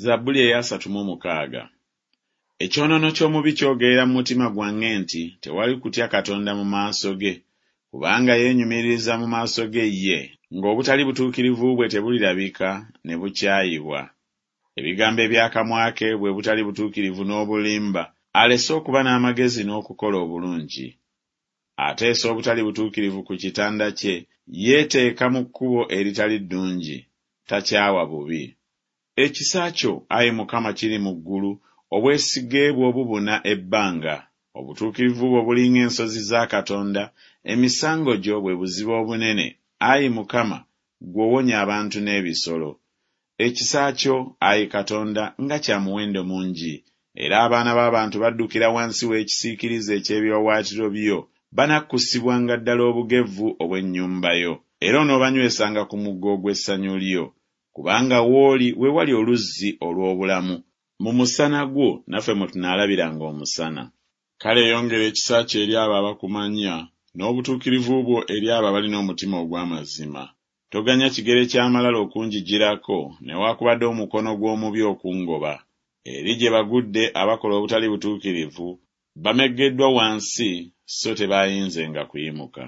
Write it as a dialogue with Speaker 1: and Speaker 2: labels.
Speaker 1: Zabbuli ey'asatu mu mukaaga. Ekyonoono ky'omubi kyogerera mu mutima gwange nti Tewali kutya Katonda mu maaso ge. Kubanga yeenyumiririza mu maaso ge ye, ng'obutali butuukirivu bwe tebulirabika ne bukyayibwa. Ebigambo eby'akamwa ke bwe butali butuukirivu n'obulimba, alese okuba n'amagezi n'okukola obulungi. Ateesa obutali butuukirivu ku kitanda kye, yeeteeka mu kkubo eritali ddungi, takyawa bubi. Ekisa kyo, ayi Mukama, kiri mu ggulu, obwesige bwo bubuna ebbanga. Obutuukirivu bwo buli ng'ensozi za Katonda, emisango gyo bwe buziba obunene, ayi Mukama, ggwe owonya abantu n'ebisolo. Ekisa kyo, ayi Katonda, nga kya muwendo mungi! Era abaana b'abantu baddukira wansi w'ekisiikirize eky'ebiwaawaatiro byo, banakkusibwanga ddala obugevvu obw'ennyumba yo, era onoobanywesanga ku mugga ogw'essanyu lyo. Kubanga w'oli we wali oluzzi olw'obulamu, mu musana gwo naffe mwe tunaalabiranga omusana. Kale yongera ekisa kyo eri abo abakumanya, n'obutuukirivu bwo eri abo abalina omutima ogw'amazima. Toganya kigere ky'amalala okunjijirako, newaakubadde omukono gw'omubi okungoba. Eri gye bagudde abakola obutali butuukirivu, bameggeddwa wansi so tebaayinzenga kuyimuka.